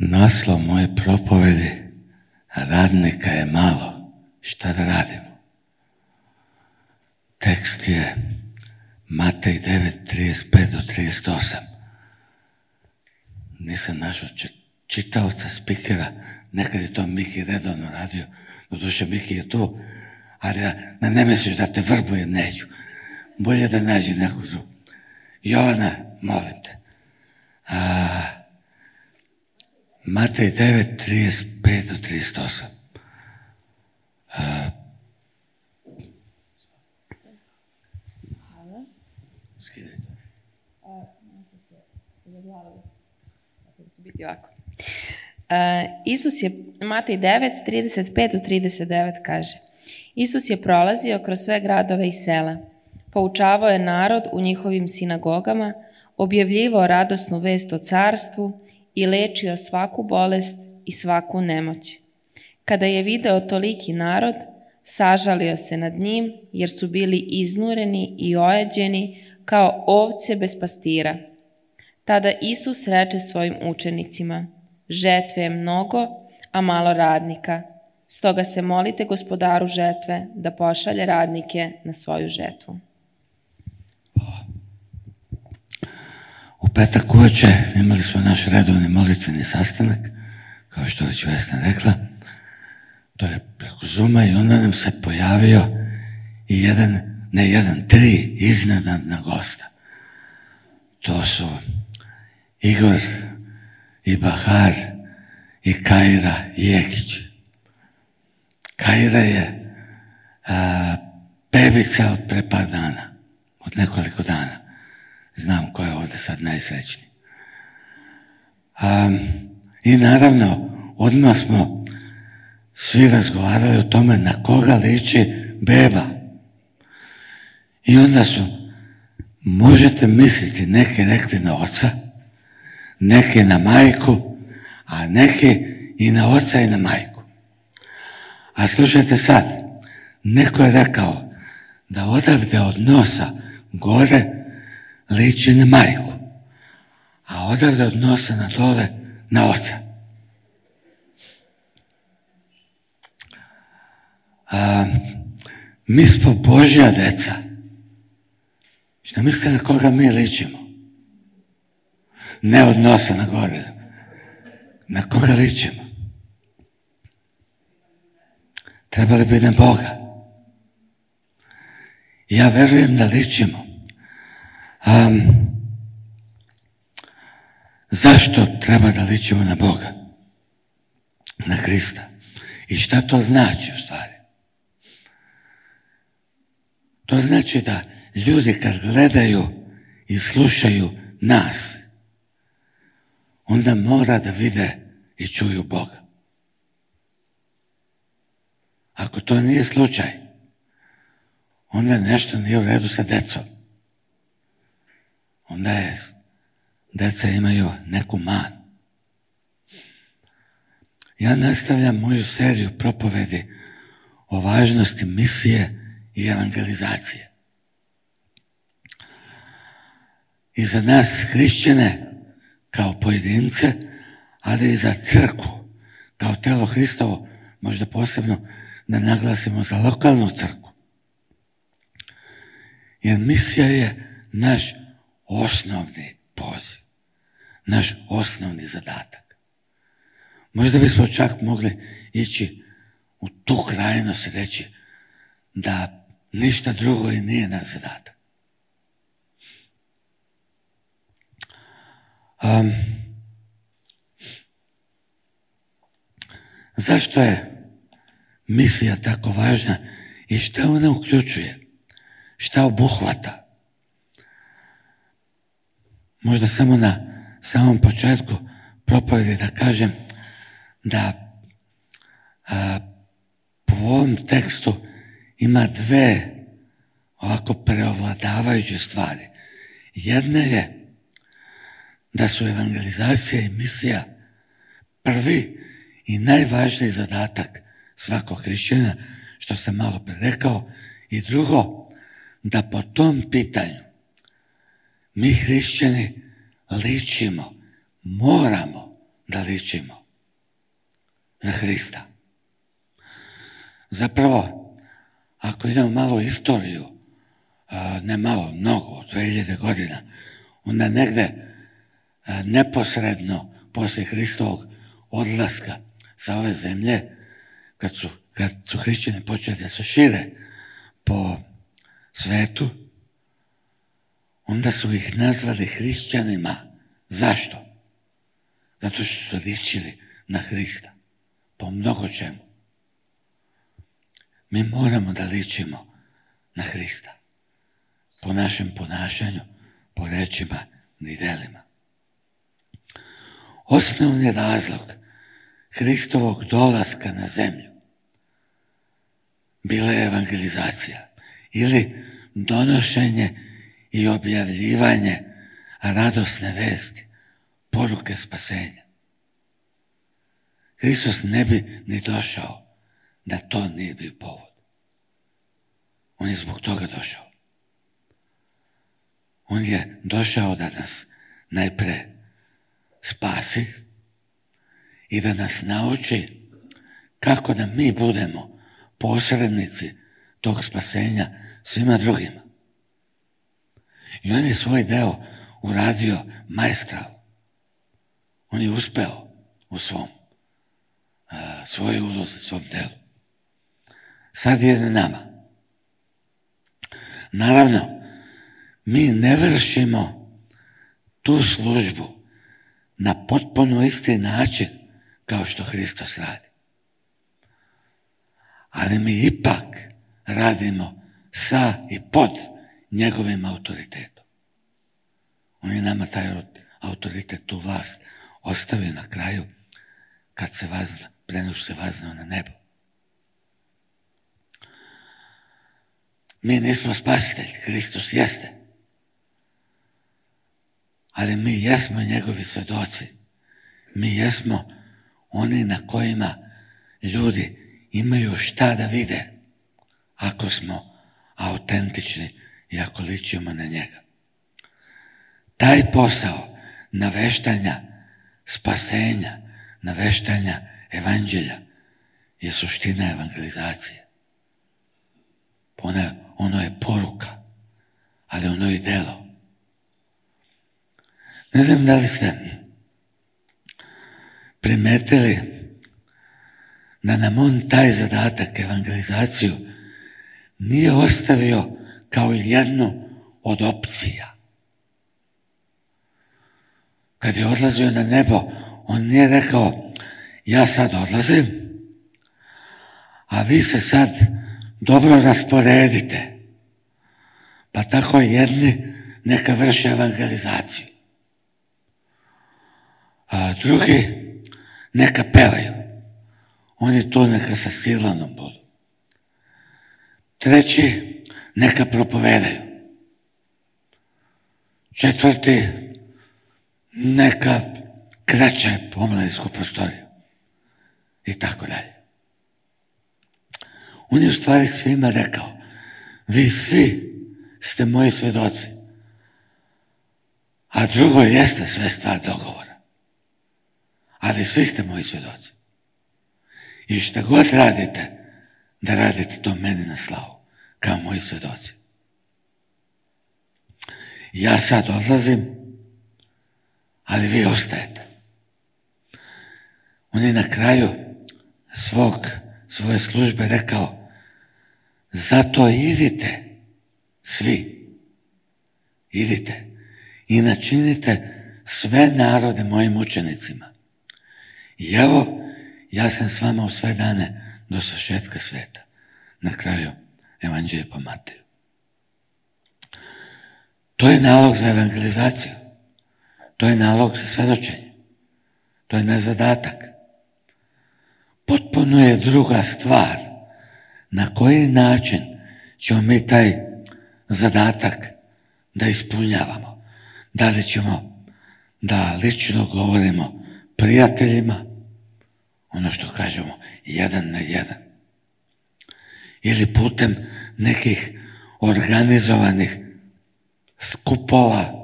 Naslov moje propovedi: radnika je malo, šta da radimo? Tekst je Matej 9:35 do 38. Nisam našao čitaoca, spikera, nekad je to Miki redovno radio, doduše Miki je tu, ali da ne misliš da te vrbuje, neću. Bolje da nađem neku drugu. Jovana, molim te. Matej 9:35 do 38. Skidaj to. Biti ovako. Matej 9:35 do 39 kaže: Isus je prolazio kroz sve gradove i sela. Poučavao je narod u njihovim sinagogama, objavljivao radosnu vest o carstvu i lečio svaku bolest i svaku nemoć. Kada je video toliki narod, sažalio se nad njim, jer su bili iznureni i ojađeni kao ovce bez pastira. Tada Isus reče svojim učenicima: žetve je mnogo, a malo radnika. Stoga se molite Gospodaru žetve da pošalje radnike na svoju žetvu. U petak uveče imali smo naš redovni molitveni sastanak, kao što već Vesna rekla. To je preko Zooma i onda nam se pojavio i tri iznenadna gosta. To su Igor i Bahar i Kajra Jekić. Kajra je bebica od pre par dana, od nekoliko dana. Znam ko je ovdje sad najsrećniji. I naravno, odmah smo svi razgovarali o tome na koga liči beba. I onda su, možete misliti, neki rekli na oca, neki na majku, a neki i na oca i na majku. A slušajte sad, neko je rekao da odavde od nosa gore liči na majku, a odavde od nosa na dole na oca. Mi smo Božja deca. Šta mislite na koga mi ličimo? Ne od nosa na gore. Na koga ličimo? Trebali bi na Boga. Ja verujem da ličimo. Zašto treba da ličimo na Boga? Na Hrista. I šta to znači u stvari? To znači da ljudi kad gledaju i slušaju nas, onda mora da vide i čuju Boga. Ako to nije slučaj, onda nešto nije u redu sa decom. Onda deca imaju neku manu. Ja nastavljam moju seriju propovedi o važnosti misije i evangelizacije. I za nas hrišćane kao pojedince, ali i za crkvu kao telo Hristovo, možda posebno da naglasimo za lokalnu crkvu. Jer misija je naš osnovni poziv, naš osnovni zadatak. Možda bismo čak mogli ići u tu krajnost i reći da ništa drugo i nije naš zadatak. Zašto je misija tako važna i šta ona uključuje? Šta obuhvata? Možda samo na samom početku propovedi da kažem da po ovom tekstu ima dve ovako preovladavajuće stvari. Jedna je da su evangelizacija i misija prvi i najvažniji zadatak svakog hrišćana, što sam malo pre rekao, i drugo, da po tom pitanju mi hrišćani ličimo, moramo da ličimo na Hrista. Zapravo, ako idemo malo istoriju, ne malo, mnogo, 2000 godina, onda negde neposredno poslije Hristovog odlaska sa ove zemlje, kad su hrišćani počeli da se šire po svetu, onda su ih nazvali hrišćanima. Zašto? Zato što su ličili na Hrista po mnogo čemu. Mi moramo da ličimo na Hrista po našem ponašanju, po rečima i delima. Osnovni razlog Hristovog dolaska na zemlju bila je evangelizacija ili donošenje i objavljivanje radosne vesti, poruke spasenja. Hristos ne bi ni došao da to nije bio povod. On je zbog toga došao. On je došao da nas najpre spasi i da nas nauči kako da mi budemo posrednici tog spasenja svima drugima. I on je svoj deo uradio maestralno. On je uspeo u svojoj ulozi, svom delu. Sad je na nama. Naravno, mi ne vršimo tu službu na potpuno isti način kao što Hristos radi. Ali mi ipak radimo sa i pod njegovim autoritetom. On je nama taj autoritet, tu vlast ostavio na kraju kad se se vaznao na nebo. Mi nismo spasitelji, Hristos jeste. Ali mi jesmo njegovi svedoci. Mi jesmo oni na kojima ljudi imaju šta da vide ako smo autentični i ako ličimo na njega. Taj posao naveštanja spasenja, naveštanja evanđelja je suština evangelizacije. Ono je poruka, ali ono je delo. Ne znam da li ste primetili da nam on taj zadatak, evangelizaciju, nije ostavio kao jednu od opcija. Kad je odlazio na nebo, on nije rekao, ja sad odlazim, a vi se sad dobro rasporedite, pa tako jedni neka vrše evangelizaciju, a drugi neka pevaju, oni to neka sa Silvanom budu, treći neka propovedaju, četvrti neka kreće omladinsku prostoriju i tako dalje. On je u stvari svima rekao, vi svi ste moji svedoci, a drugo jeste sve stvar dogovora, ali svi ste moji svedoci. I šta god radite, da radite to meni na slavu, kao moji svedoci. Ja sad odlazim, ali vi ostajete. On je na kraju svoje službe rekao, zato idite, svi, idite i načinite sve narode mojim učenicima. I evo, ja sam s vama u sve dane do svršetka sveta. Na kraju evanđelja po Mateju. To je nalog za evangelizaciju. To je nalog za svedočenje. To je naš zadatak. Potpuno je druga stvar na koji način ćemo mi taj zadatak da ispunjavamo. Da li ćemo da lično govorimo prijateljima, ono što kažemo, 1 na 1, ili putem nekih organizovanih skupova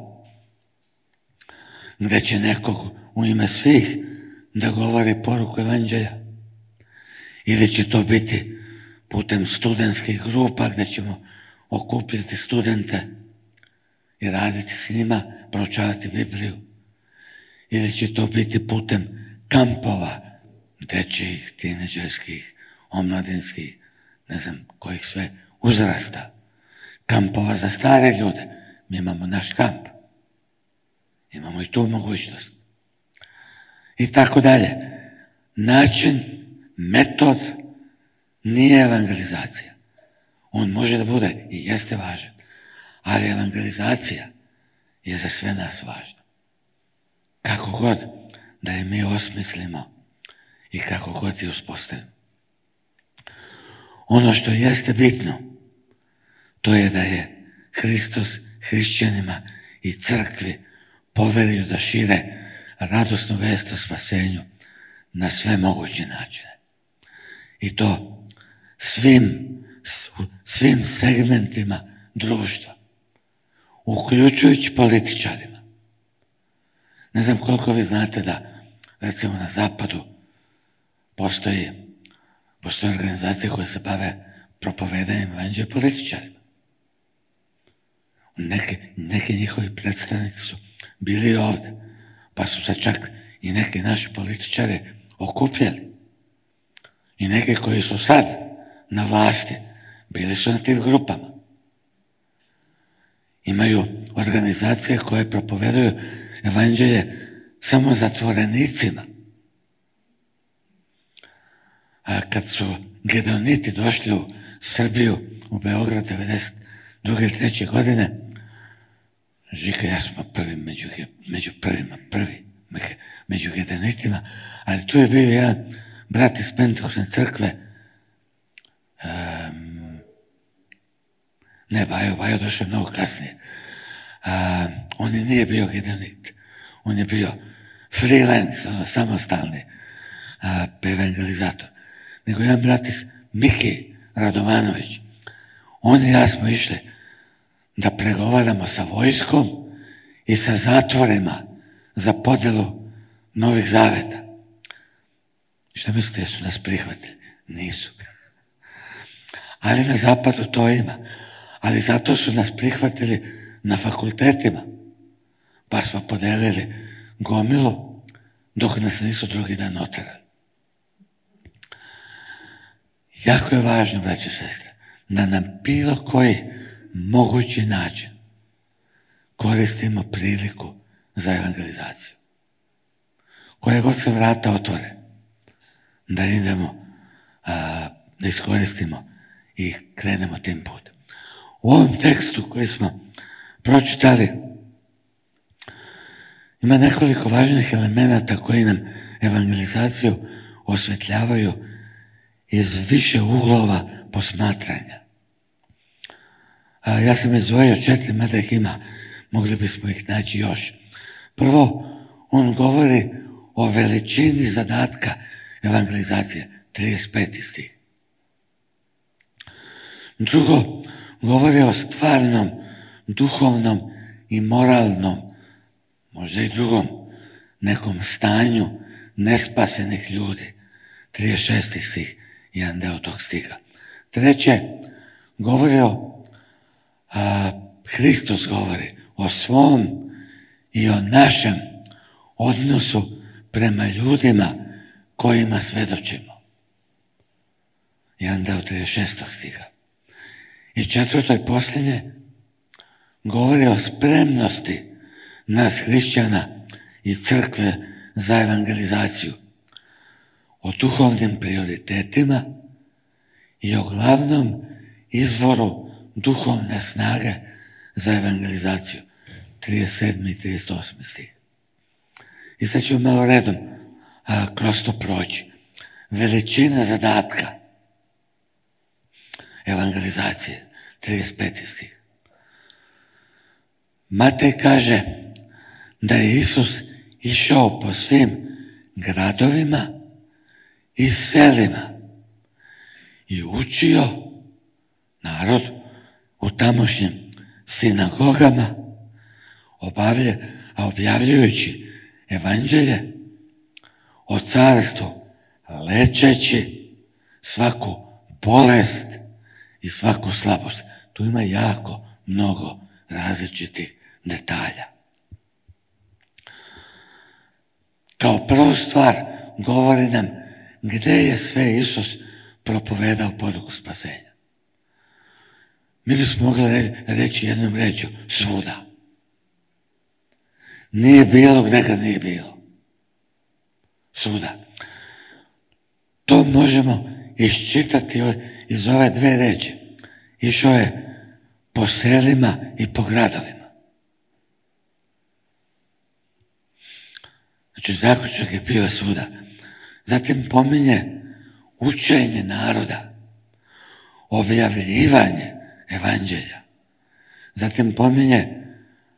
gdje će nekog u ime svih da govori poruku evanđelja. Ili će to biti putem studentskih grupa gdje ćemo okupiti studente i raditi s njima, proučavati Bibliju. Ili će to biti putem kampova, dečjih, tineđerskih, omladinskih, ne znam kojih sve uzrasta. Kampova za stare ljude. Mi imamo naš kamp. Imamo i tu mogućnost. I tako dalje. Način, metod nije evangelizacija. On može da bude i jeste važan. Ali evangelizacija je za sve nas važna. Kako god da je mi osmislimo i kako god je uspostavimo. Ono što jeste bitno, to je da je Hristos hrišćanima i crkvi poverio da šire radosnu vest o spasenju na sve moguće načine. I to svim segmentima društva, uključujući političarima. Ne znam koliko vi znate da, recimo na zapadu, postoji organizacije koje se bave propovedanjem evanđelja političarima. Neki njihovi predstavnici su bili ovdje, pa su se čak i neki naši političari okupljali. I neki koji su sad na vlasti, bili su na tim grupama. Imaju organizacije koje propovedaju evanđelje samo zatvorenicima. A kad su Gedeoniti došli u Srbiju, u Beograd 92. i 3. godine, Žika, ja smo prvi među prvima, među Gedeonitima, ali tu je bio jedan brat iz Pentekostne crkve, Bajo došao mnogo kasnije. On nije bio Gedeonit, on je bio freelance, samostalni evangelizator. Nego jedan brat iz Miki Radovanović. On i ja smo išli da pregovaramo sa vojskom i sa zatvorima za podjelu Novih Zaveta. Što mislite, jesu nas prihvatili? Nisu. Ali na zapadu to ima. Ali zato su nas prihvatili na fakultetima. Pa smo podelili gomilu dok nas nisu drugi dan oterali. Jako je važno, braći i sestre, da nam bilo koji mogući način koristimo priliku za evangelizaciju. Koje god se vrata otvore, da idemo, da iskoristimo i krenemo tim putem. U ovom tekstu koji smo pročitali ima nekoliko važnih elemenata koji nam evangelizaciju osvetljavaju iz više uglova posmatranja. Ja sam izdvojio 4, mada ih ima, mogli bismo ih naći još. Prvo, on govori o veličini zadatka evangelizacije, 35. stih. Drugo, govori o stvarnom, duhovnom i moralnom, možda i drugom, nekom stanju nespasenih ljudi, 36. stih, jedan deo tog stiha. Treće, govori Hristos govori o svom i o našem odnosu prema ljudima kojima svedočimo. Jedan deo 36. stiha. I četvrto i posljednje, govori o spremnosti nas hrišćana i crkve za evangelizaciju, o duhovnim prioritetima i o glavnom izvoru duhovne snage za evangelizaciju, 37. i 38. stih. I sad ću malo redom kroz to proći. Veličina zadatka evangelizacije, 35. stih. Matej kaže da je Isus išao po svim gradovima i selima i učio narod u tamošnjim sinagogama, objavljujući evanđelje o carstvu, lečeći svaku bolest i svaku slabost. Tu ima jako mnogo različitih detalja. Kao prvu stvar govori nam gdje je sve Isus propovedao poruku spasenja. Mi bismo mogli reći jednom rečju, svuda. Nije bilo gdje ga nije bilo. Svuda. To možemo iščitati iz ove dve reči. Išao je po selima i po gradovima. Znači, zaključak je bio svuda. Zatim pominje učenje naroda, objavljivanje evanđelja. Zatim pominje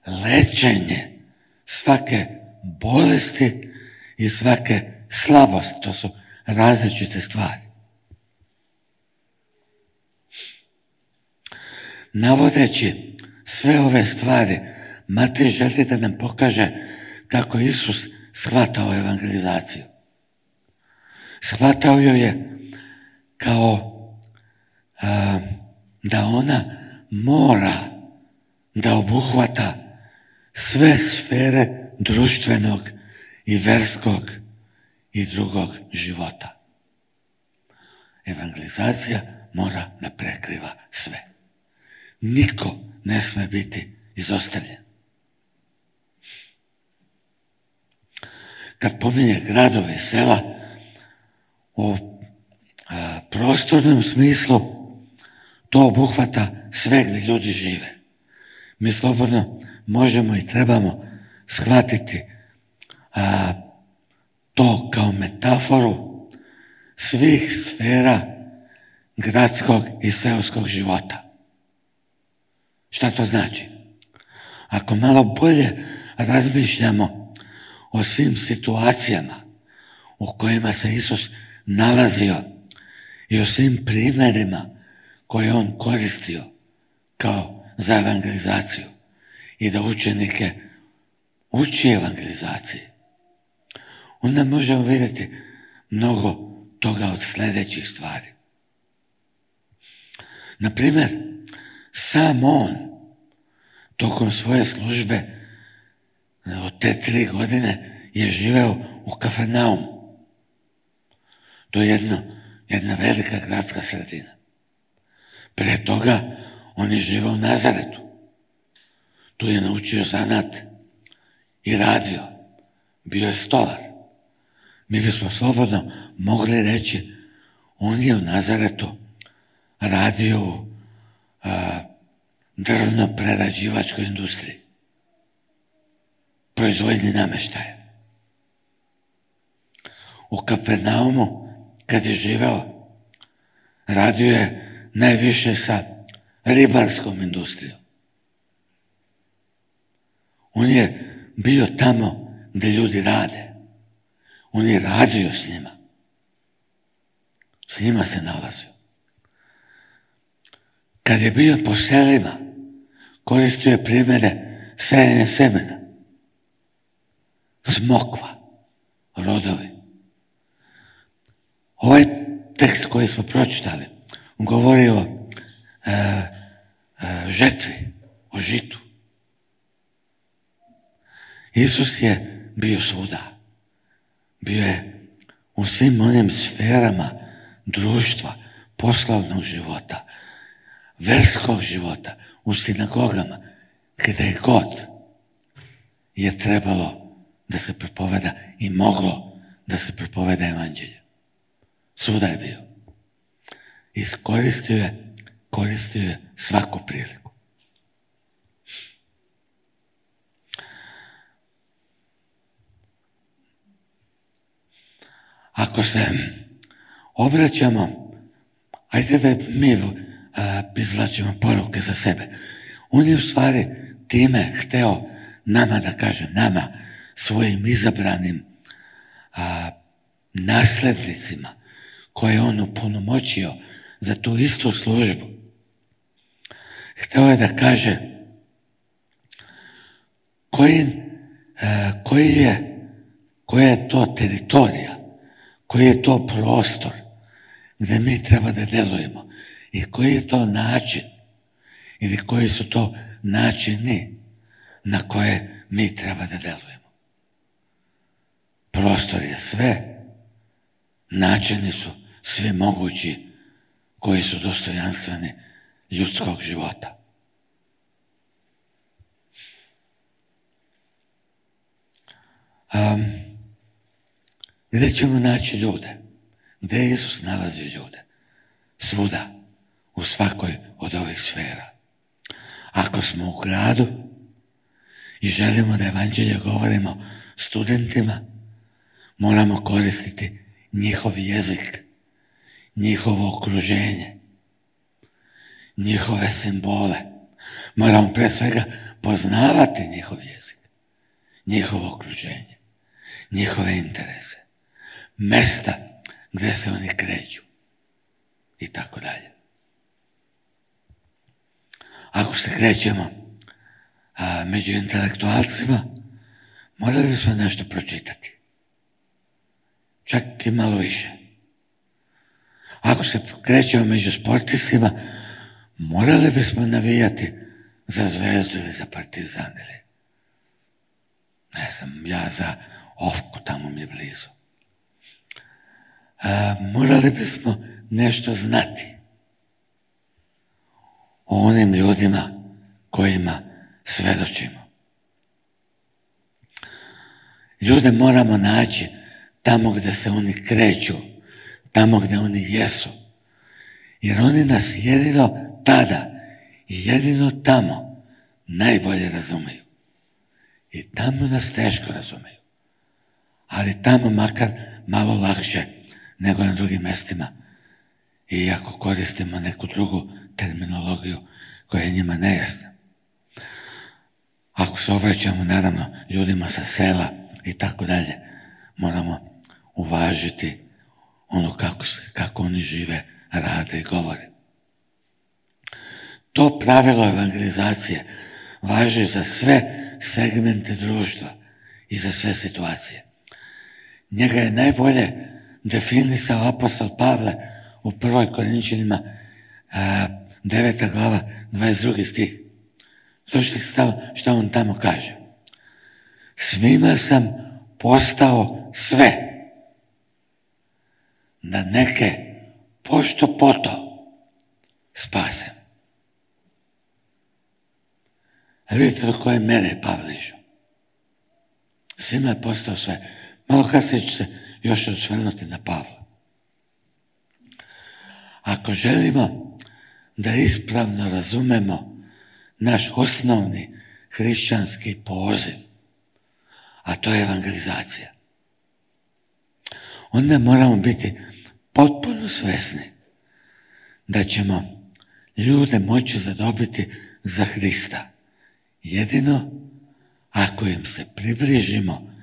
lečenje svake bolesti i svake slabosti. To su različite stvari. Navodeći sve ove stvari, Matej želi da nam pokaže kako Isus shvatao evangelizaciju. Shvatao joj je kao da ona mora da obuhvata sve sfere društvenog i verskog i drugog života. Evangelizacija mora da prekriva sve. Niko ne sme biti izostavljen. Kad pominje gradove i sela, u prostornom smislu to obuhvata sve gdje ljudi žive. Mi slobodno možemo i trebamo shvatiti to kao metaforu svih sfera gradskog i seoskog života. Šta to znači? Ako malo bolje razmišljamo o svim situacijama u kojima se Isus nalazio i o svim primjerima koje on koristio kao za evangelizaciju i da učenike uči evangelizaciji, onda možemo vidjeti mnogo toga od sljedećih stvari. Na primjer, sam on tokom svoje službe od te 3 godine je živeo u Kafarnaumu. To je jedna velika gradska sredina. Prije toga on je živeo u Nazaretu. Tu je naučio zanat i radio. Bio je stolar. Mi bismo slobodno mogli reći, on je u Nazaretu radio u drvno-prerađivačkoj industriji, proizvodnji namještaja. U Kapernaumu, kad je živeo, radio je najviše sa ribarskom industrijom. On je bio tamo gdje ljudi rade. On je radio s njima. S njima se nalazio. Kad je bio po selima, koristio je primjere sejanja semena, smokva, rodovi. Ovaj tekst koji smo pročitali govori o žetvi, o žitu. Isus je bio svuda. Bio je u svim onim sferama društva, poslovnog života, verskog života, u sinagogama, gdje god je trebalo da se propoveda i moglo da se propoveda evanđelje. Svuda je bio. Koristio je svaku priliku. Ako se obraćamo, ajde da mi izvlačimo poruke za sebe. On je u stvari time hteo nama da kaže, nama, svojim izabranim naslednicima koje je on upunomoćio za tu istu službu. Hteo je da kaže koja je to teritorija koji je to prostor gdje mi treba da delujemo i koji je to način ili koji su to načini na koje mi treba da delujemo. Prostor je sve, načini su svi mogući koji su dostojanstveni ljudskog života. Gdje ćemo naći ljude? Gdje je Isus nalazio ljude? Svuda, u svakoj od ovih sfera. Ako smo u gradu i želimo da evanđelje govorimo studentima, moramo koristiti njihov jezik, njihovo okruženje, njihove simbole. Moramo pre svega poznavati njihov jezik, njihovo okruženje, njihove interese, mesta gdje se oni kreću i tako dalje. Ako se krećemo među intelektualcima, morali bismo nešto pročitati. Čak i malo više. Ako se krećemo među sportistima, morali bismo navijati za Zvezdu ili za Partizan ili ne znam, ja za Ofku, tamo mi je blizu. Morali bismo nešto znati o onim ljudima kojima svedočimo. Ljude moramo naći tamo gdje se oni kreću, tamo gdje oni jesu. Jer oni nas jedino tada i jedino tamo najbolje razumiju. I tamo nas teško razumiju. Ali tamo makar malo lakše nego na drugim mjestima. I ako koristimo neku drugu terminologiju koja je njima nejasna. Ako se obraćamo naravno ljudima sa sela i tako dalje, moramo uvažiti ono kako oni žive, rade i govore. To pravilo evangelizacije važi za sve segmente društva i za sve situacije. Njega je najbolje definisao apostol Pavle u 1. Korinćanima 9. glava 22. stih. Slušajte što on tamo kaže. Svima sam postao sve, da neke pošto poto spasem. A vidite do koje mere je Pavle išao. Svima je postao sve. Malo kasnije ću se još osvrnuti na Pavla. Ako želimo da ispravno razumemo naš osnovni hrišćanski poziv, a to je evangelizacija, onda moramo biti potpuno svesni da ćemo ljude moći zadobiti za Hrista jedino ako im se približimo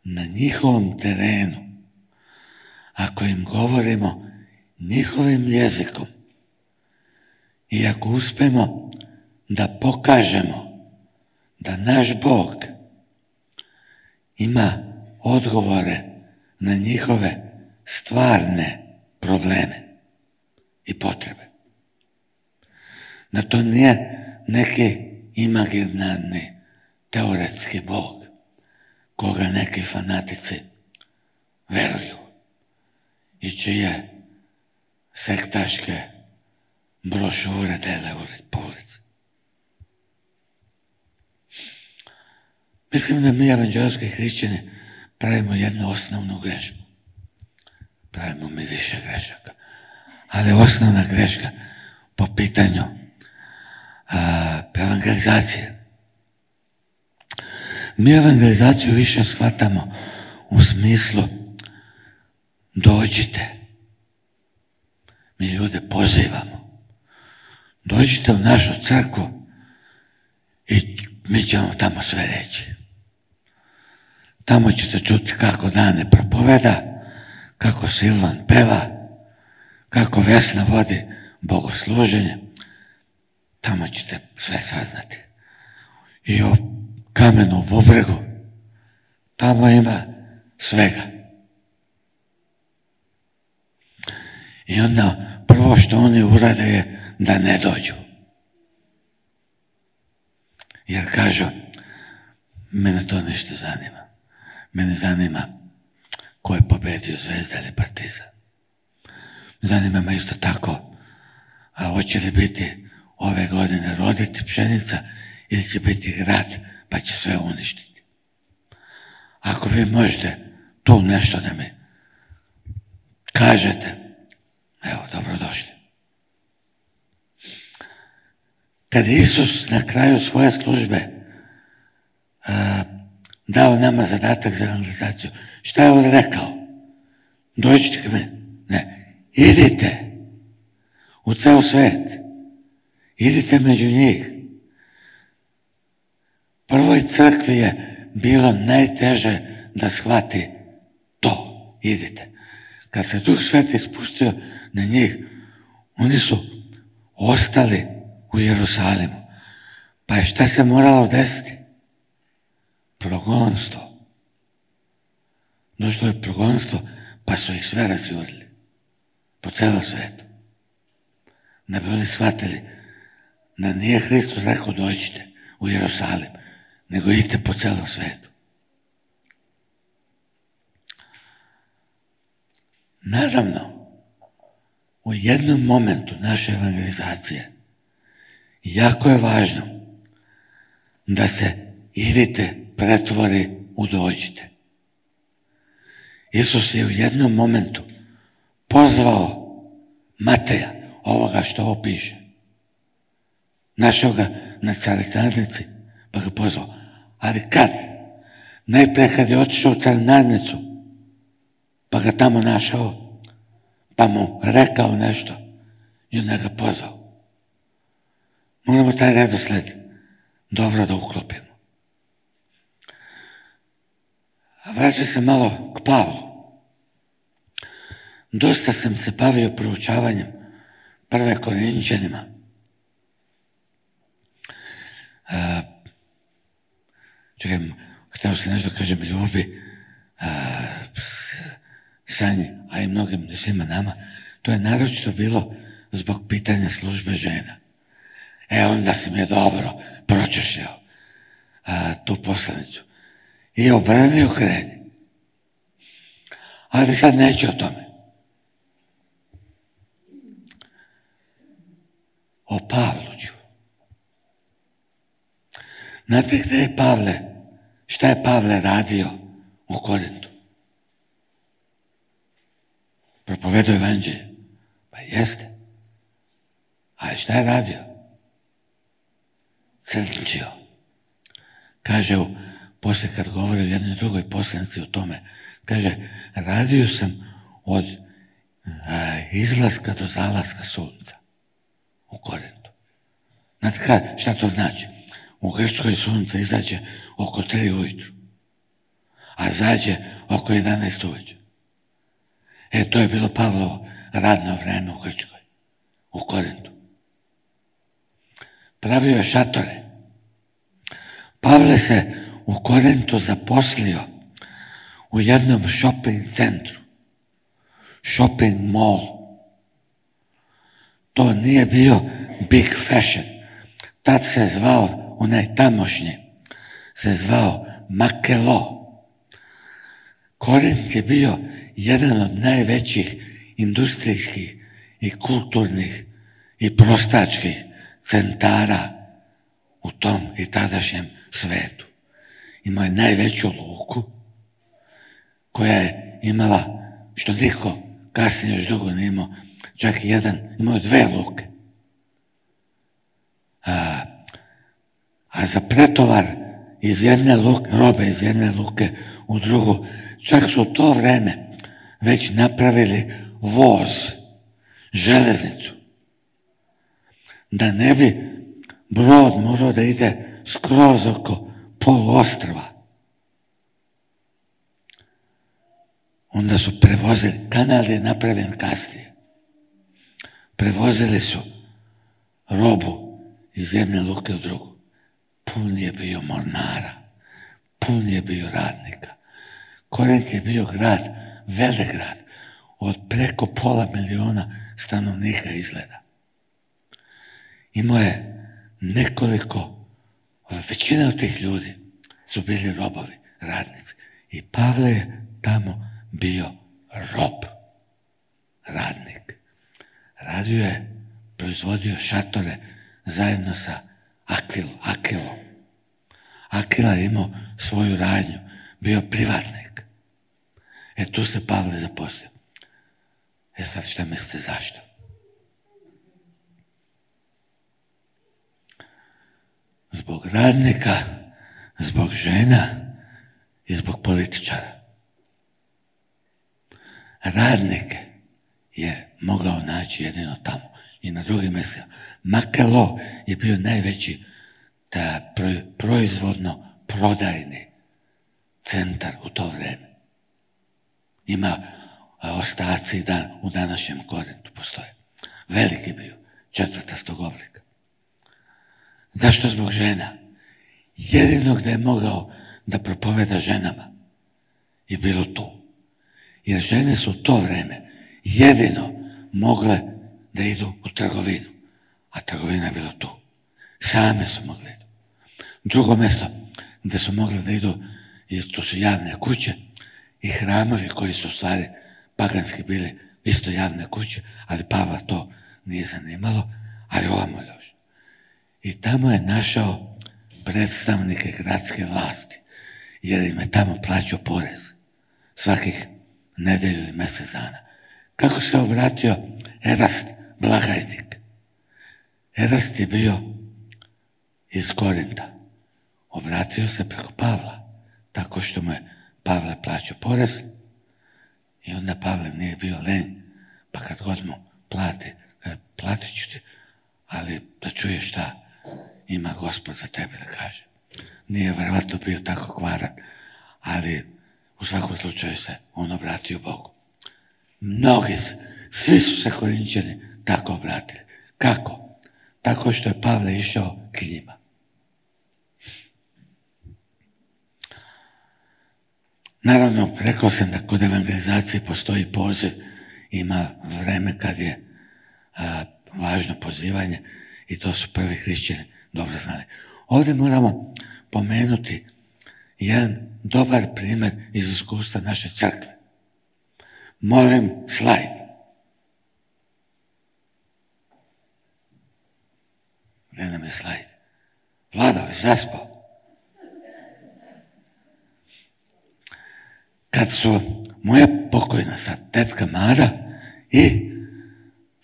na njihovom terenu, ako im govorimo njihovim jezikom i ako uspemo da pokažemo da naš Bog ima odgovore na njihove stvarne probleme i potrebe. Da to nije neki imaginarni teoretski Bog koga neki fanatici veruju i čije sektaške brošure dele po ulici. Mislim da mi evanđelski hrišćani pravimo jednu osnovnu grešku. Pravimo mi više grešaka. Ali osnovna greška po pitanju evangelizacije. Mi evangelizaciju više shvatamo u smislu dođite. Mi ljude pozivamo. Dođite u našu crkvu i mi ćemo tamo sve reći. Tamo ćete čuti kako Dane propoveda, kako Silvan peva, kako Vesna vodi bogosluženje. Tamo ćete sve saznati. I o kamenu bubregu, tamo ima svega. I onda prvo što oni urade je da ne dođu. Jer kažu, mene to nešto zanima. Mene zanima ko je pobedio, Zvezda ili Partizan. Zanima me isto tako, a hoće li biti ove godine roditi pšenica ili će biti grad pa će sve uništiti. Ako vi možete tu nešto da mi kažete, evo, dobrodošli. Kad je Isus na kraju svoje službe dao nama zadatak za evangelizaciju, šta je on rekao? Dođite k meni. Ne, idite u ceo svet. Idite među njih. Prvoj crkvi je bilo najteže da shvati to. Idite. Kad se Duh Sveti spustio na njih, oni su ostali u Jerusalimu. Pa je šta se moralo desiti? Progonstvo. Došlo je progonstvo, pa su ih sve razjurili. Po celom svetu. Da bi oni shvatili da nije Hristos rekao dođite u Jerusalim, nego idite po celom svetu. Naravno, u jednom momentu naše evangelizacije jako je važno da se idite pretvori u dođite. Isus je u jednom momentu pozvao Mateja, ovoga što ovo piše. Našao ga na carinarnici, pa ga pozvao. Ali kad? Najprije kad je otišao u carinarnicu, pa ga tamo našao, pa mu rekao nešto i onda ga pozvao. Moramo taj redosled dobro da uklopimo. A vraćam se malo k Pavlu. Dosta sam se bavio proučavanjem Prve Korinćanima. Čekaj, htio sam nešto kažem ljubi, Sanji, a i mnogim svima nama, to je naročito bilo zbog pitanja službe žena. Onda sam je dobro pročešljao tu poslanicu i obrani okreni. Ali sad neću o tome. O Pavlu ću. Znate gde je Pavle, šta je Pavle radio u Korintu? Propovedao evanđelje. Pa jeste. Ali šta je radio? Crnčio. Kaže, poslije kad govori o jednoj drugoj poslanici o tome, kaže, radio sam od izlaska do zalaska sunca u Korintu. Znate šta to znači? U Grčkoj sunce izađe oko 3 ujutru, a zađe oko 11 uveče. To je bilo Pavlovo radno vreme u Grčkoj, u Korintu. Pravio je šatore. Pavle se u Korintu zaposlio u jednom shopping centru, shopping mall. To nije bio Big Fashion. Tad se zvao, onaj tamošnji, se zvao Makelo. Korint je bio jedan od najvećih industrijskih i kulturnih i prostačkih centara u tom i tadašnjem svetu. Imao je najveću luku koja je imala, što niko kasnije još dugo nije imao, čak i imao je 2 luke. A za pretovar iz jedne luke, robe iz jedne luke u drugu, čak su u to vreme već napravili voz, železnicu. Da ne bi brod morao da ide skroz oko poluostrva. Onda su prevozili, kanal je napravljen kasnije. Prevozili su robu iz jedne luke u drugu. Pun je bio mornara, pun je bio radnika. Korint je bio grad, velik grad. od preko 500 000 stanovnika izgleda. Imao je nekoliko, većina od tih ljudi su bili robovi, radnici. I Pavle je tamo bio rob, radnik. Radio je, proizvodio šatore zajedno sa Akilom. Akila je imao svoju radnju, bio privatnik. Tu se Pavle zaposlio. Sad šta mislite zašto? Zbog radnika, zbog žena i zbog političara. Radnike je mogao naći jedino tamo i na drugim mjestima. Makelo je bio najveći proizvodno prodajni centar u to vrijeme. Ima ostaci u današnjem Korintu postoje. Veliki bio, 4. oblika. Zašto? Zbog žena. Jedino gdje je mogao da propoveda ženama je bilo tu. Jer žene su u to vrijeme jedino mogle da idu u trgovinu. A trgovina je bila tu. Same su mogle idu. Drugo mjesto gdje su mogle da idu, jer to su javne kuće i hramovi koji su u stvari paganski bili isto javne kuće, ali Pavla to nije zanimalo, ali ovamo još. I tamo je našao predstavnike gradske vlasti, jer im je tamo plaćao porez svakih nedelju ili mjesec dana. Kako se obratio Erast, blagajnik? Erast je bio iz Korinta. Obratio se preko Pavla, tako što mu je Pavle plaćao porez i onda Pavle nije bio lenj, pa kad god mu plati, platit ću ti, ali da čuješ šta ima Gospod za tebe da kaže. Nije vjerovatno bio tako kvaran, ali u svakom slučaju se on obratio Bogu. Svi su se Korinčani tako obratili. Kako? Tako što je Pavle išao k njima. Naravno, rekao sam da kod evangelizacije postoji poziv, ima vreme kad je važno pozivanje i to su prvi hrišćani dobro znali. Ovdje moramo pomenuti jedan dobar primjer iz iskustva naše crkve. Molim slajd. Gdje nam je slajd? Vlado je zaspao. Kad su moja pokojna sad tetka Mara i,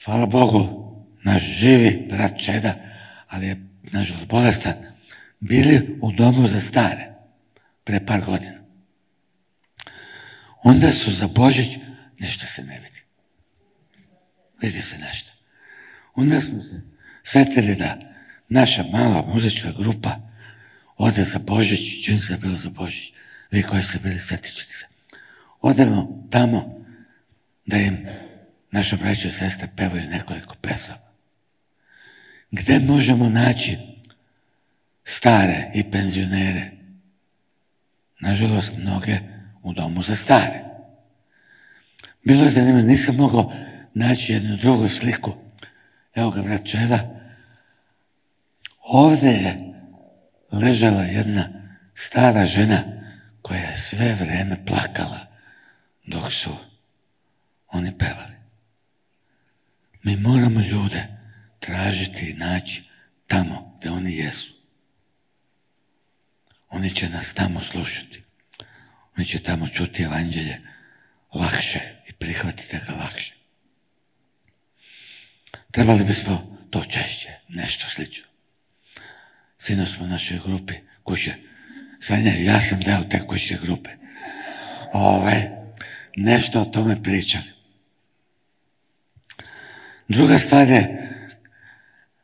hvala Bogu, naš živi brat Čeda, ali je nažalost bolestan, bili u domu za stare pre par godina. Onda su za Božić, ništa se ne vidi. Vidi se nešto. Onda smo se sjetili da naša mala muzička grupa ode za Božić, čim se je bilo za Božić, vi koji ste bili, sjetit ćete se. Odemo tamo da im naša braća i sestre pevaju nekoliko pesama. Gdje možemo naći stare i penzionere? Nažalost, mnoge u domu za stare. Bilo je zanimljivo, nisam mogao naći jednu drugu sliku. Evo ga, brat Čeda. Ovdje je ležala jedna stara žena koja je sve vrijeme plakala dok su oni pevali. Mi moramo ljude tražiti i naći tamo gdje oni jesu. Oni će nas tamo slušati. Oni će tamo čuti evanđelje lakše i prihvatiti ga lakše. Trebali bismo to češće, nešto slično. Sinoć smo u našoj grupi kuće. Sanja, ja sam deo te kuće grupe. Nešto o tome pričali. Druga stvar je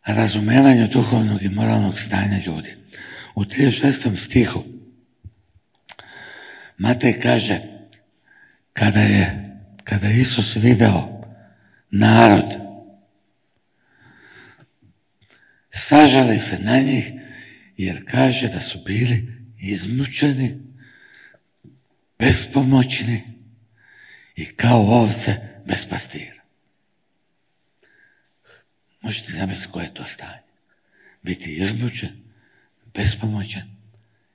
razumevanje duhovnog i moralnog stanja ljudi. U 36. stihu Matej kaže kada je Isus video narod, sažali se na njih jer kaže da su bili izmučeni, bespomoćni i kao ovce bez pastira. Možete zamisliti koje je to stanje. Biti izmučen, bespomoćan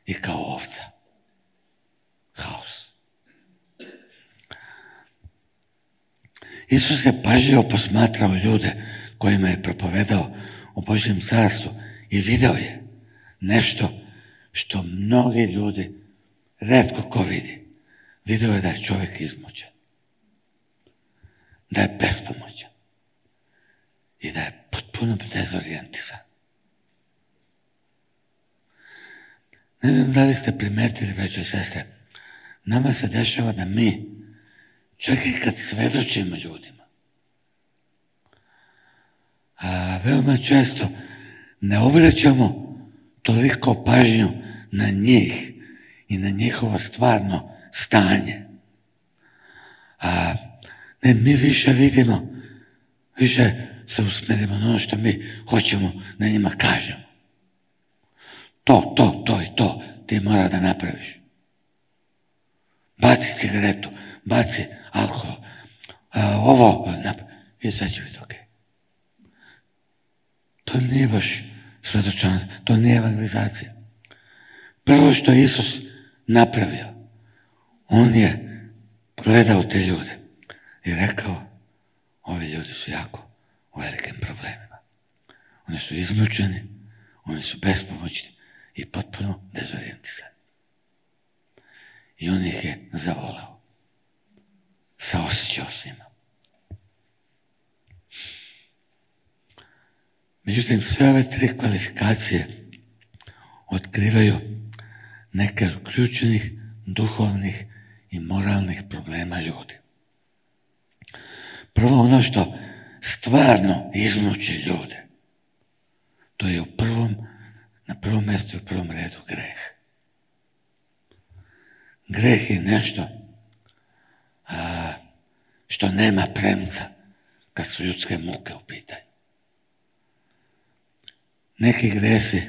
i kao ovca. Haos. Isus je pažljivo posmatrao ljude kojima je propovedao o Božjem carstvu i video je nešto što mnogi ljudi retko ko vidi. Video je da je čovjek izmučen, da je bespomoćan i da je potpuno dezorijentisan. Ne znam da li ste primetili, braćo i sestre, nama se dešava da mi, čak i kad svedočimo ljudima, veoma često ne obraćamo toliko pažnju na njih i na njihovo stvarno stanje. Ne, mi više vidimo, više se usmerimo na ono što mi hoćemo da njima kažemo. To i to ti mora da napraviš. Baci cigaretu, baci alkohol, i sad će biti okej. To nije baš svedočanstvo, to nije evangelizacija. Prvo što je Isus napravio, on je gledao te ljude i rekao, ovi ljudi su jako u velikim problemima. Oni su izmučeni, oni su bespomoćni i potpuno dezorijentisani. I on ih je zavolao. Saosjećao s njima. Međutim, sve ove tri kvalifikacije otkrivaju neke od ključnih duhovnih i moralnih problema ljudi. Prvo, ono što stvarno izmuči ljude, to je na prvom mjestu i u prvom redu greh. Greh je nešto što nema premca kad su ljudske muke u pitanju. Neki gresi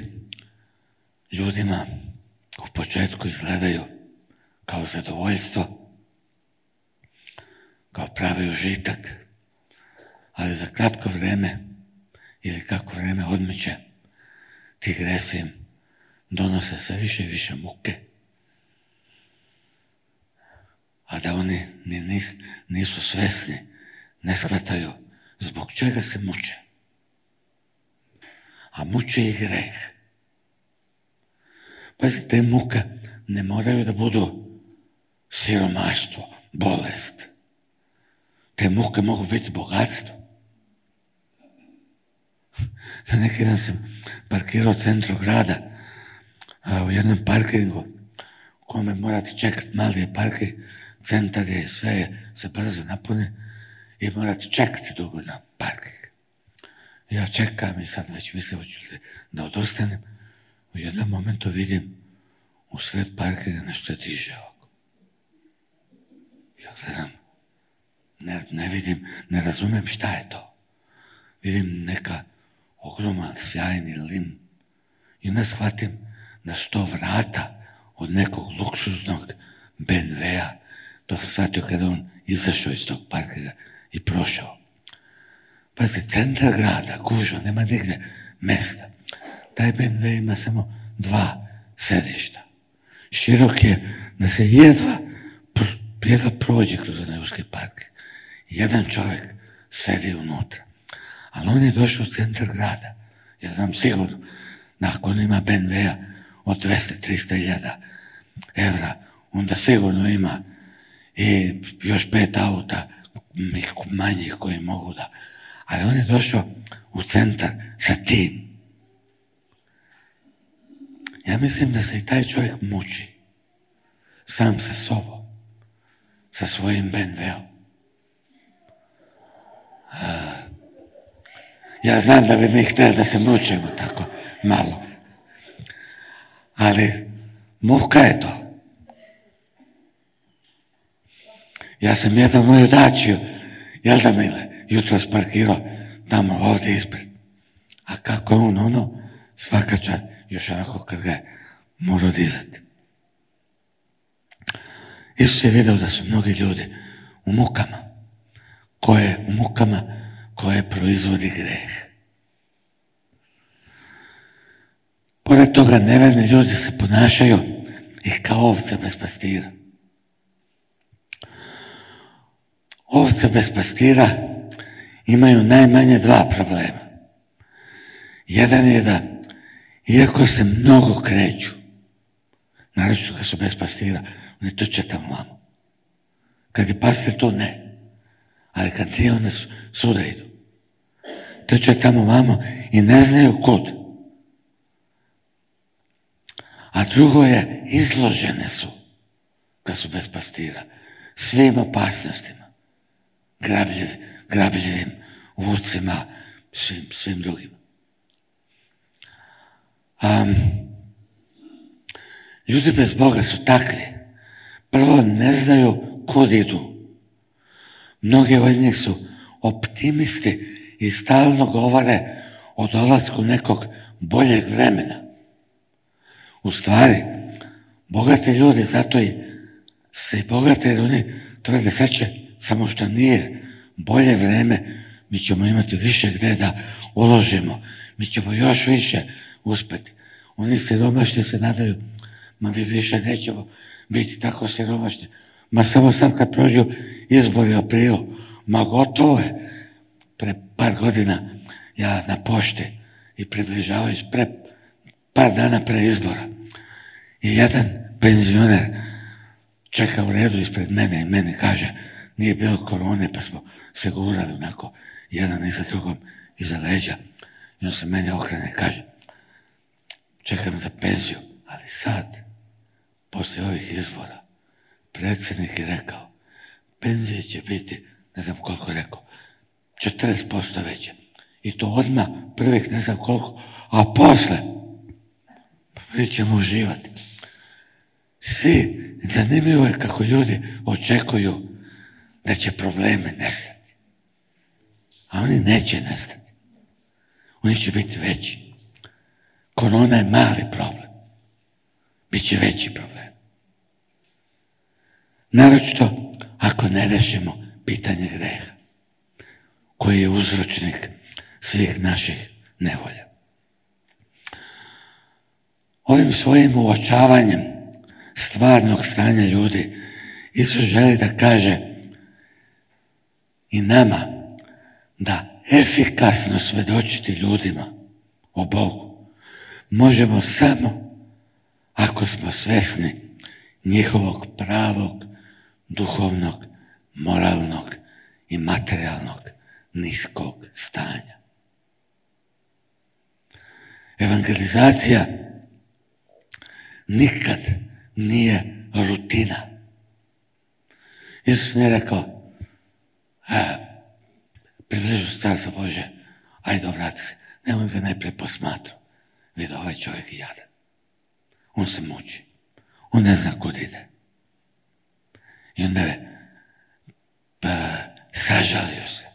ljudima u početku izgledaju kao zadovoljstvo, kao pravi užitak, ali za kratko vrijeme ili kako vrijeme odmiče, ti gresi im donose sve više i više muke, a da oni nisu svjesni, ne shvataju zbog čega se muče. A muče i greh. Pazite, te muke ne moraju da budu siromaštvo, bolest. Te muke mogu biti bogatstvo. Na neki dan sam parkirao u centru grada, u jednom parkingu u kome morate čekati, mali je parking, centar je, sve se brzo napune i morate čekati dugo na parking. Ja čekam i sad već mislim da odustanem. U jednom momentu vidim u sred parkinga nešto se diže ovako. Ja gledam, ne vidim, ne razumijem šta je to. Vidim neka ogroman, sjajni lim i onda shvatim da su to vrata od nekog luksuznog BMW-a. To sam shvatio kada on izašao iz tog parkinga i prošao. Pazite, centar grada, gužva, nema nigde mesta. Taj BMW ima samo 2 sedišta. Širok je da se jedva prođe kroz onaj uski parking. Jedan čovjek sedi unutra. Ali on je došao u centar grada. Ja znam sigurno da ako on ima BMW-a od 200-300 evra, onda sigurno ima i još 5 auta manjih koji mogu da... Ali on je došao u centar sa tim. Ja mislim da se i taj čovjek muči sam sa sobom, sa svojim BMW-om. Ja znam da bi mi htjeli da se mučimo tako malo. Ali muka je to. Ja sam jednu moju dačiju, jel da Mile, jutro sparkirao tamo ovdje ispred. A kako je on svaka čast, još onako kad ga je morao dizati. Isus je vidio da su mnogi ljudi u mukama. u mukama koje proizvodi greh. Pored toga, neverni ljudi se ponašaju i kao ovce bez pastira. Ovce bez pastira imaju najmanje dva problema. Jedan je da, iako se mnogo kreću, naročito kad su bez pastira, oni trče tamo vamo. Kad je pastir tu, ne. Ali kad nije, one svuda idu. Trče tamo vamo i ne znaju kud. A drugo je, izložene su, kad su bez pastira, svim opasnostima, grabljivim vucima, svim drugim. Ljudi bez Boga su takvi. Prvo, ne znaju kud idu. Mnogi od njih su optimisti i stalno govore o dolasku nekog boljeg vremena. U stvari, bogati ljudi zato se i bogate, jer oni tvrde sad će, samo što nije bolje vreme, mi ćemo imati više gdje da uložimo, mi ćemo još više uspjeti. Oni siromašni se nadaju, ma vi više nećemo biti tako siromašni, ma samo sad kad prođu izbori u aprilu, ma gotovo je. Pre par godina ja na pošti i približavajući par dana pre izbora i jedan penzioner čeka u redu ispred mene i meni kaže, nije bilo korone pa smo se gurali onako jedan iza drugom iza leđa i on se meni okrene i kaže, čekam za penziju, ali sad poslije ovih izbora predsjednik je rekao, penzije će biti, ne znam koliko je rekao, 40% veće. I to odmah prvih ne znam koliko, a posle mi ćemo uživati. Svi, zanimljivo je kako ljudi očekuju da će problemi nestati. A oni neće nestati. Oni će biti veći. Korona je mali problem. Biće veći problem. Naročito ako ne rešimo pitanje greha, koji je uzročnik svih naših nevolja. Ovim svojim uočavanjem stvarnog stanja ljudi Isus želi da kaže i nama da efikasno svedočiti ljudima o Bogu možemo samo ako smo svesni njihovog pravog, duhovnog, moralnog i materijalnog niskog stanja. Evangelizacija nikad nije rutina. Isus nije rekao, približu se Carstvo Božje, ajde obrati se, nemoj ga najprije posmatru. Vidi, ovaj čovjek je jadan. On se muči. On ne zna kud ide. I onda je sažalio se.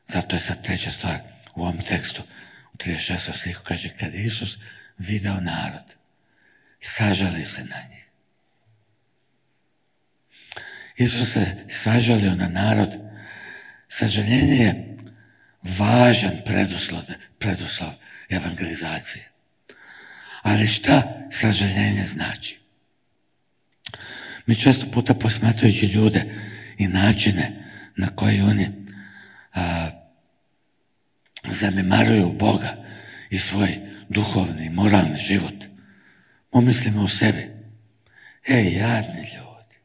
Zato je sad treća stvar u ovom tekstu, u 36. stihu kaže, kad je Isus video narod, sažali se na njih. Isus se sažalio na narod. Sažaljenje je važan preduslov evangelizacije. Ali šta sažaljenje znači? Mi često puta posmatrajući ljude i načine na koji oni zanemaruju Boga i svoj duhovni i moralni život, pomislimo u sebi, jadni ljudi,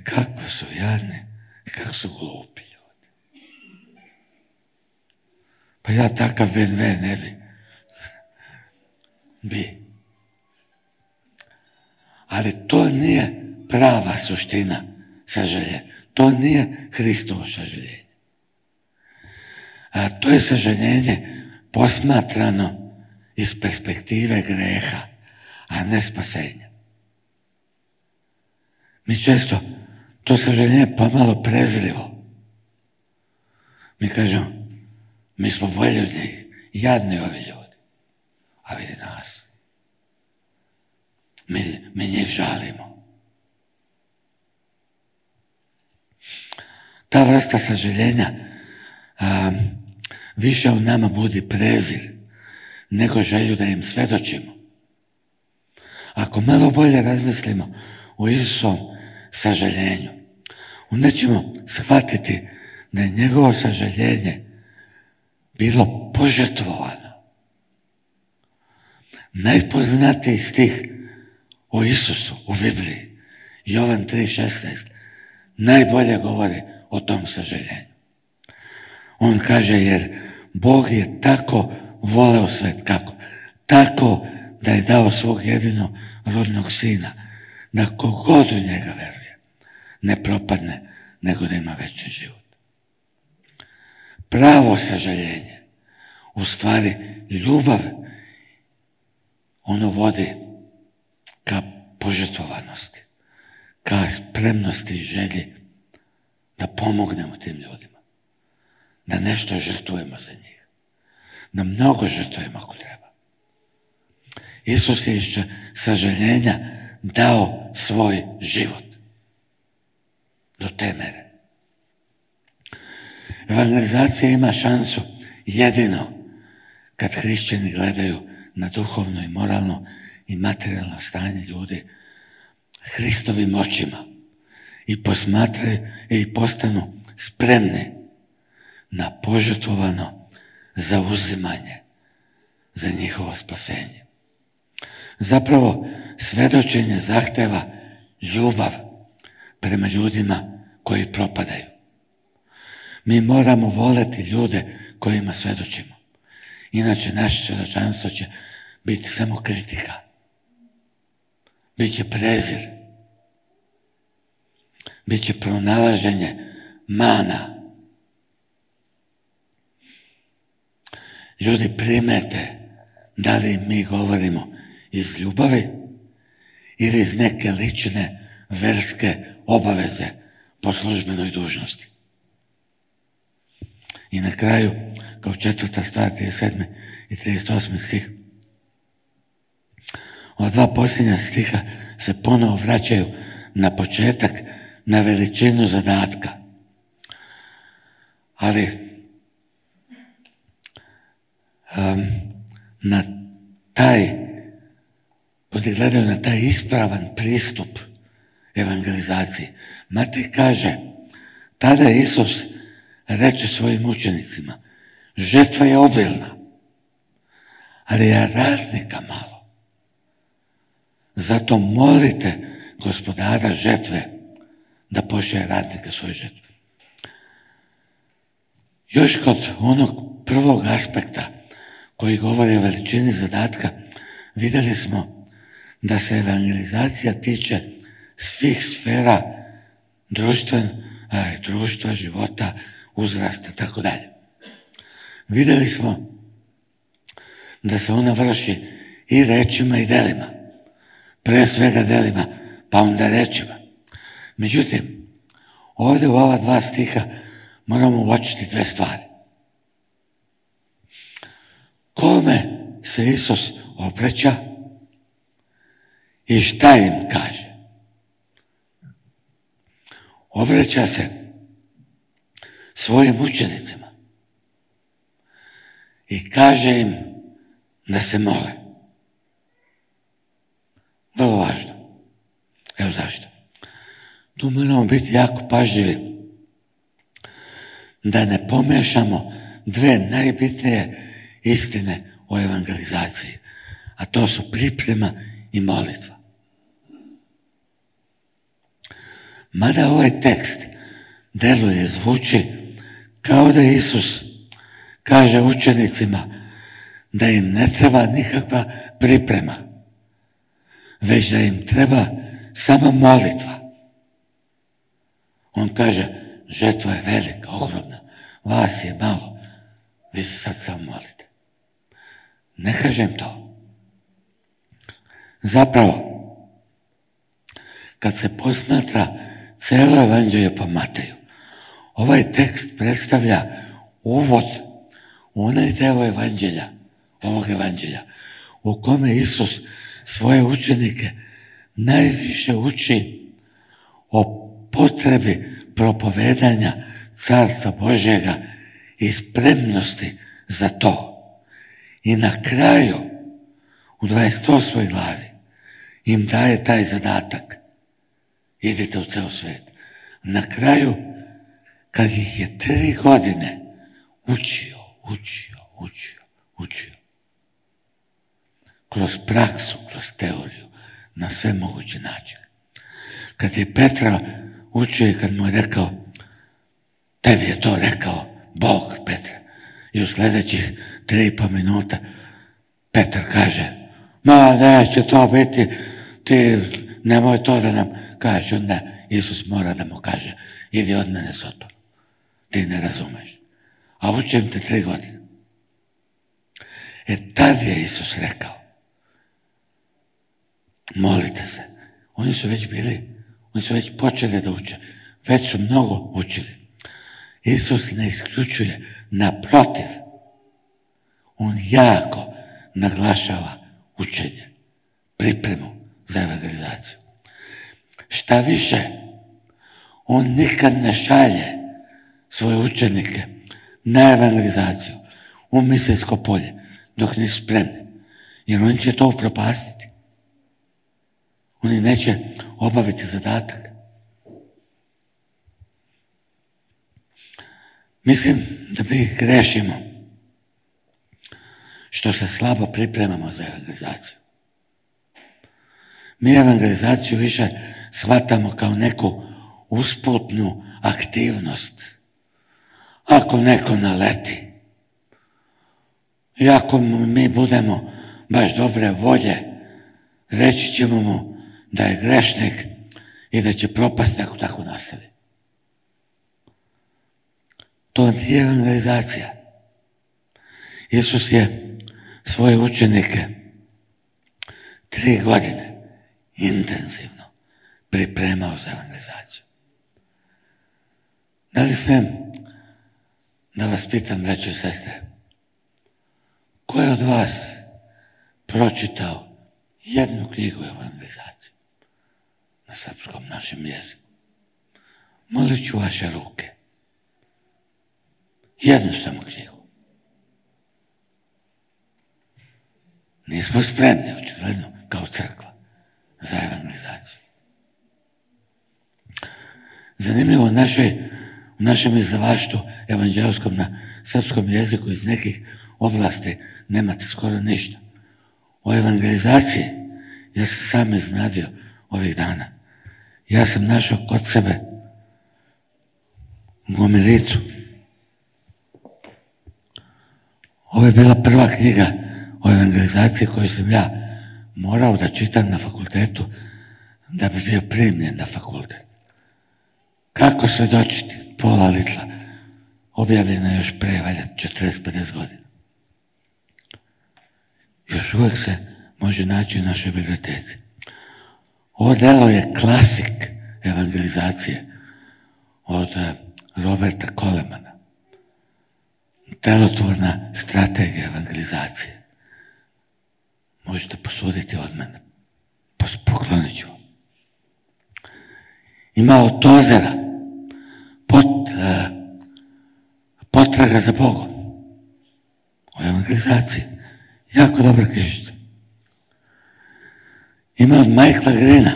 kako su jadni i kako su glupi ljudi. Pa ja takav BMW ne bi. Ali to nije prava suština sažaljenja. To nije Hristovo sažaljenje. To je sažaljenje posmatrano iz perspektive greha, a ne spasenja. Mi često to sažaljenje pomalo prezrivo. Mi kažemo, mi smo bolji od njih, jadni ovi ljudi. A vidi nas. Mi njih žalimo. ta vrsta sažaljenja više u nama budi prezir nego želju da im svedočimo. Ako malo bolje razmislimo o Isusovom sažaljenju, onda ćemo shvatiti da je njegovo sažaljenje bilo požrtvovano. Najpoznatiji stih o Isusu u Bibliji, Jovan 3,16, najbolje govori o tom sažaljenju. On kaže, jer Bog je tako voleo svet, kako? Tako da je dao svog jedinog rodnog sina, da kogod u njega veruje, ne propadne, nego da ima večni život. Pravo sažaljenje, u stvari ljubav, ono vodi ka požrtvovanosti, ka spremnosti i želji da pomognemo tim ljudima, da nešto žrtvujemo za njih, da mnogo žrtvujemo ako treba. Isus je iz sažaljenja dao svoj život do te mere. Evangelizacija ima šansu jedino kad hrišćani gledaju na duhovno i moralno i materijalno stanje ljudi Hristovim očima i posmatraju i postanu spremni na požrtvovano zauzimanje za njihovo spasenje. Zapravo, svedočenje zahteva ljubav prema ljudima koji propadaju. Mi moramo voleti ljude kojima svedočimo. Inače, naše svjedočanstvo će biti samo kritika. Biće prezir. Biće pronalaženje mana. Ljudi primete da li mi govorimo iz ljubavi ili iz neke lične verske obaveze po službenoj dužnosti. I na kraju, kao 4. stvar, 37. i 38. stih, ova dva posljednja stiha se ponovo vraćaju na početak, na veličinu zadatka. Ali na gledaju na taj ispravan pristup evangelizaciji. Matej kaže, tada Isus reče svojim učenicima, žetva je obilna, ali je radnika malo. Zato molite gospodara žetve da pošalje radnika svoje žetve. Još kod onog prvog aspekta koji govori o veličini zadatka, vidjeli smo da se evangelizacija tiče svih sfera društva, života, uzrasta, tako dalje. Vidjeli smo da se ona vrši i rečima i delima. Pre svega delima, pa onda rečima. Međutim, ovdje u ova dva stiha moramo uočiti dve stvari. Kome se Isus obraća i šta im kaže? Obraća se svojim učenicima i kaže im da se mole. Vrlo važno. Evo zašto. Tu moramo biti jako pažljivi da ne pomešamo dve najbitnije istine o evangelizaciji, a to su priprema i molitva. Mada ovaj tekst deluje, zvuči kao da Isus kaže učenicima da im ne treba nikakva priprema, već da im treba samo molitva. On kaže, žetva je velika, ogromna, vas je malo, vi se sad samo molite. Ne kažem to. Zapravo, kad se posmatra celo evanđelje po Mateju, ovaj tekst predstavlja uvod u onaj deo evanđelja, ovog evanđelja, u kome Isus svoje učenike najviše uči o potrebi propovedanja Carstva Božjega i spremnosti za to. I na kraju, u 28. glavi, im daje taj zadatak. Idite u ceo svet. Na kraju, kad ih je 3 godine učio, kroz praksu, kroz teoriju, na sve moguće načine. Kad je Petra učio i kad mu je rekao, tebi je to rekao Bog, Petra. I u sljedećih 3,5 minuta Petar kaže, ma neće to biti, ti nemoj to da nam kaže. Onda Isus mora da mu kaže, idi od mene Soton, ti ne razumeš. A učim te 3 godine. Tad je Isus rekao, molite se. Oni su već počeli da uče. Već su mnogo učili. Isus ne isključuje, naprotiv. On jako naglašava učenje, pripremu za evangelizaciju. Šta više, on nikad ne šalje svoje učenike na evangelizaciju u misijsko polje dok nisu spremni. Jer oni će to upropastiti. Oni neće obaviti zadatak. Mislim da mi grešimo što se slabo pripremamo za evangelizaciju. Mi evangelizaciju više shvatamo kao neku usputnu aktivnost. Ako neko naleti i ako mi budemo baš dobre volje, reći ćemo mu da je grešnik i da će propasti ako tako nastavi. To nije evangelizacija. Isus je svoje učenike 3 godine intenzivno pripremao za evangelizaciju. Da li smijem da vas pitam, braćo i sestre, ko je od vas pročitao jednu knjigu evangelizaciju na srpskom našem jeziku? Molit ću vaše ruke. Jednu samo knjigu. Nismo spremni, očigledno, kao crkva, za evangelizaciju. Zanimljivo, u našem izdavaštvu evanđeoskom na srpskom jeziku iz nekih oblasti nemate skoro ništa. O evangelizaciji, ja sam sam iznadio ovih dana. Ja sam našao kod sebe gomilicu. Ovo je bila prva knjiga o evangelizaciji koju sam ja morao da čitam na fakultetu da bi bio primljen na fakultet. Kako svedočiti? Pola litla. Objavljena još pre, valjda, 40-50 godina. Još uvijek se može naći u našoj biblioteci. Ovo delo je klasik evangelizacije od Roberta Colemana. Delotvorna strategija evangelizacije. Možete posuditi od mene. Poklonit ću. Ima od Tozera potraga za Bogom. O evangelizaciji. Jako dobra knjižica. Ima od Michaela Greena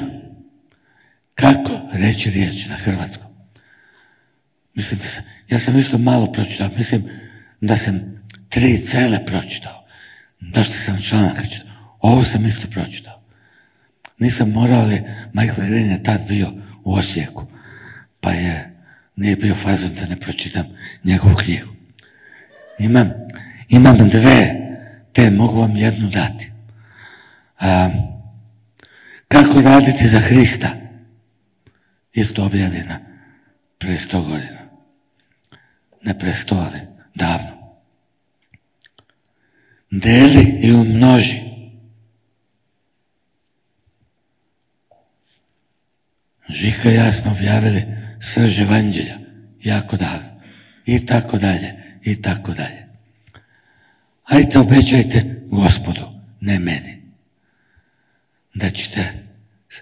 kako reći riječ na hrvatskom. Mislim da ja sam isto malo pročitao. Mislim da sam 3 cele pročitao. Dosta sam članaka čitao. Ovo sam isto pročitao. Nisam morao, ali Michael Green je tad bio u Osijeku. Pa nije bio fazon da ne pročitam njegovu knjigu. Imam 2, te mogu vam jednu dati. Kako raditi za Hrista? Isto objavljena pre 100 godina. Ne pre 100, ali davno. Deli i umnoži. Žika i ja smo objavili srž evanđelja jako davno. I tako dalje, i tako dalje. Ajde obećajte Gospodu, ne meni, da ćete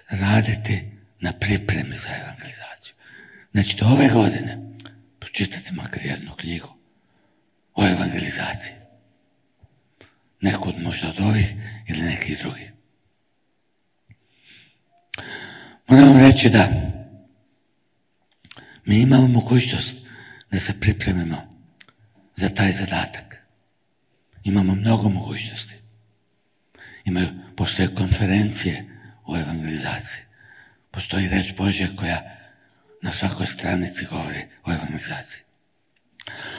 raditi na pripremi za evangelizaciju. Da ćete ove godine pročitati makar jednu knjigu o evangelizaciji. Nekud možda od ovih ili nekih drugih. Moram reći da mi imamo mogućnost da se pripremimo za taj zadatak. Imamo mnogo mogućnosti. Postoje konferencije o evangelizaciji. Postoji reč Božja koja na svakoj stranici govori o evangelizaciji.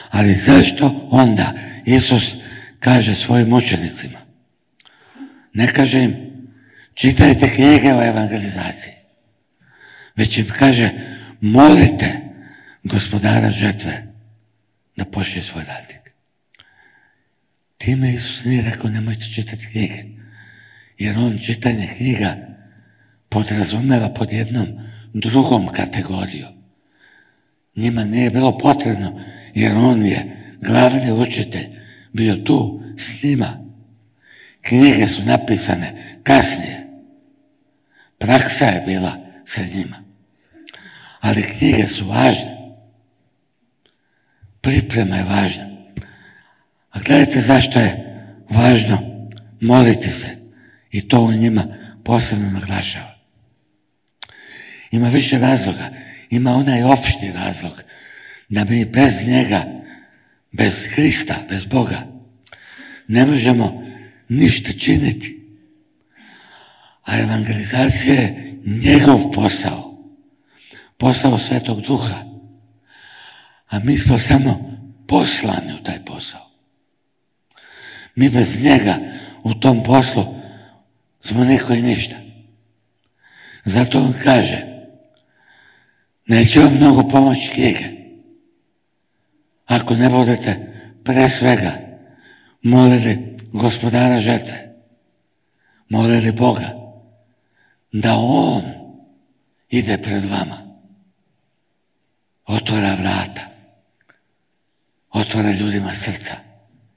Ali zašto onda Isus kaže svojim učenicima? Ne kaže im čitajte knjige o evangelizaciji, već im kaže molite gospodara žetve da pošalje svoj radnik. Time Isus nije rekao nemojte čitati knjige, jer on čitanje knjiga podrazumeva pod jednom drugom kategorijom. Njima nije bilo potrebno, jer on je glavni učitelj bio tu s njima. Knjige su napisane kasnije. Praksa je bila sa njima. Ali knjige su važne. Priprema je važna. A gledajte zašto je važno moliti se. I to u njima posebno naglašava. Ima više razloga. Ima onaj opšti razlog da mi bez njega, bez Hrista, bez Boga ne možemo ništa činiti. A evangelizacija je njegov posao. Posao Svetog Duha. A mi smo samo poslani u taj posao. Mi bez njega u tom poslu smo niko i ništa. Zato on kaže neće vam mnogo pomoći knjige ako ne budete pre svega molili gospodara žetve, molili Boga da on ide pred vama, otvara vrata, otvara ljudima srca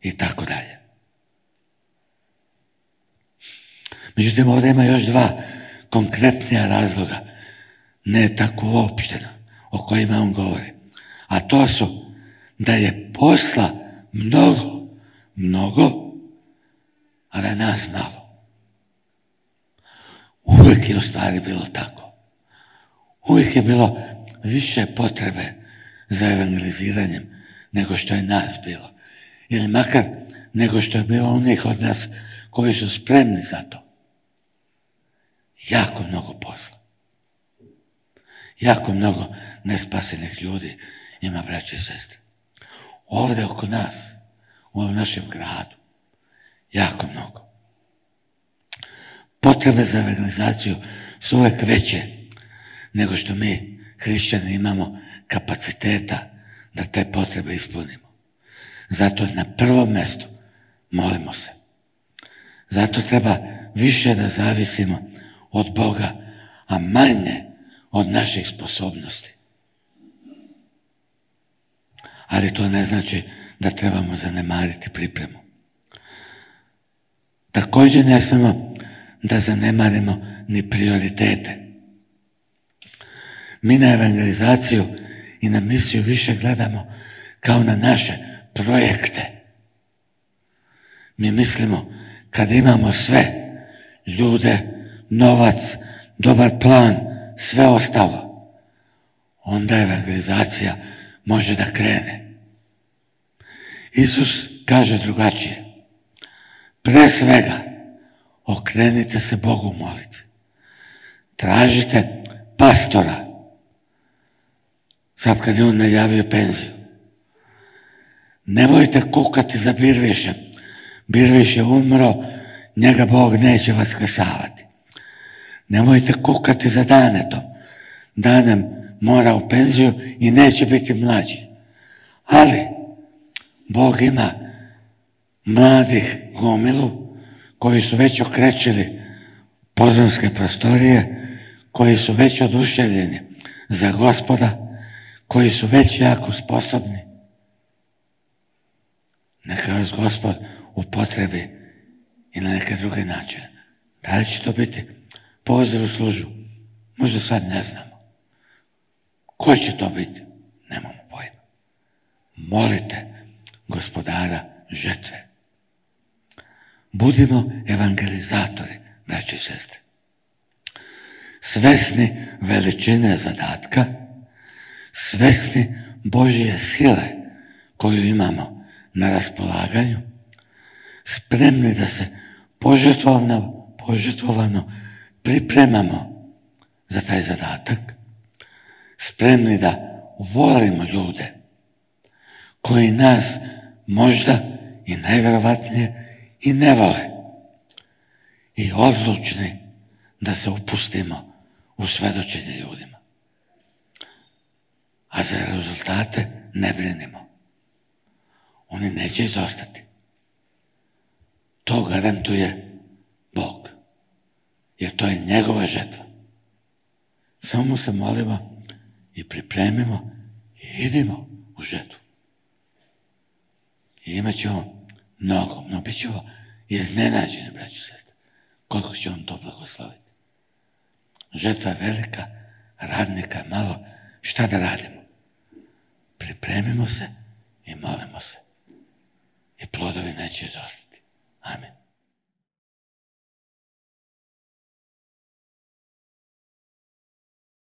i tako dalje. Međutim, ovdje ima još dva konkretnija razloga, ne tako uopštena, o kojima on govori. A to su da je posla mnogo, a da nas malo. Uvijek je u stvari bilo tako. Uvijek je bilo više potrebe za evangeliziranjem nego što je nas bilo. Ili makar nego što je bilo onih od nas koji su spremni za to. Jako mnogo posla. Jako mnogo nespasenih ljudi ima, braće i sestre. Ovdje oko nas, u ovom našem gradu, jako mnogo. Potrebe za evangelizaciju su uvijek veće nego što mi, hrišćani, imamo kapaciteta da te potrebe ispunimo. Zato na prvom mjestu molimo se. Zato treba više da zavisimo od Boga, a manje od naših sposobnosti. Ali to ne znači da trebamo zanemariti pripremu. Također ne smemo da zanemarimo ni prioritete. Mi na evangelizaciju i na misiju više gledamo kao na naše projekte. Mi mislimo kad imamo sve, ljude, novac, dobar plan, sve ostalo, onda evangelizacija može da krene. Isus kaže drugačije. Pre svega, okrenite se Bogu moliti. Tražite pastora. Sad kad je on najavio penziju. Nemojte kukati za Birvišem. Birviš je umro, njega Bog neće vaskrsavati. Nemojte kukati za Danetom. Danem mora u penziju i neće biti mlađi. Ali Bog ima mladih gomilu koji su već okrećili podrumske prostorije, koji su već oduševljeni za Gospoda, koji su već jako sposobni. Neka vas Gospod upotrebi i na neke druge načine. Da li će to biti poziv u službu? Možda sad ne znamo. Ko će to biti? Nemamo pojma. molite gospodara žetve. Budimo evangelizatori, braći i sestre. Svesni veličine zadatka, svesni Božje sile koju imamo na raspolaganju, spremni da se požrtvovano pripremamo za taj zadatak, spremni da volimo ljude koji nas možda i najvjerovatnije i ne vole, i odlučni da se upustimo u svedočenje ljudima. A za rezultate ne brinimo. Oni neće izostati. To garantuje Bog, jer to je njegova žetva. Samo mu se molimo i pripremimo i idemo u žetvu. I imat ćemo mnogo, bit ćemo iznenađeni, braći i sestre, koliko će on to blagosloviti. Žetva je velika, radnika je malo, šta da radimo? Pripremimo se i molimo se. I plodovi neće izostati. Amen.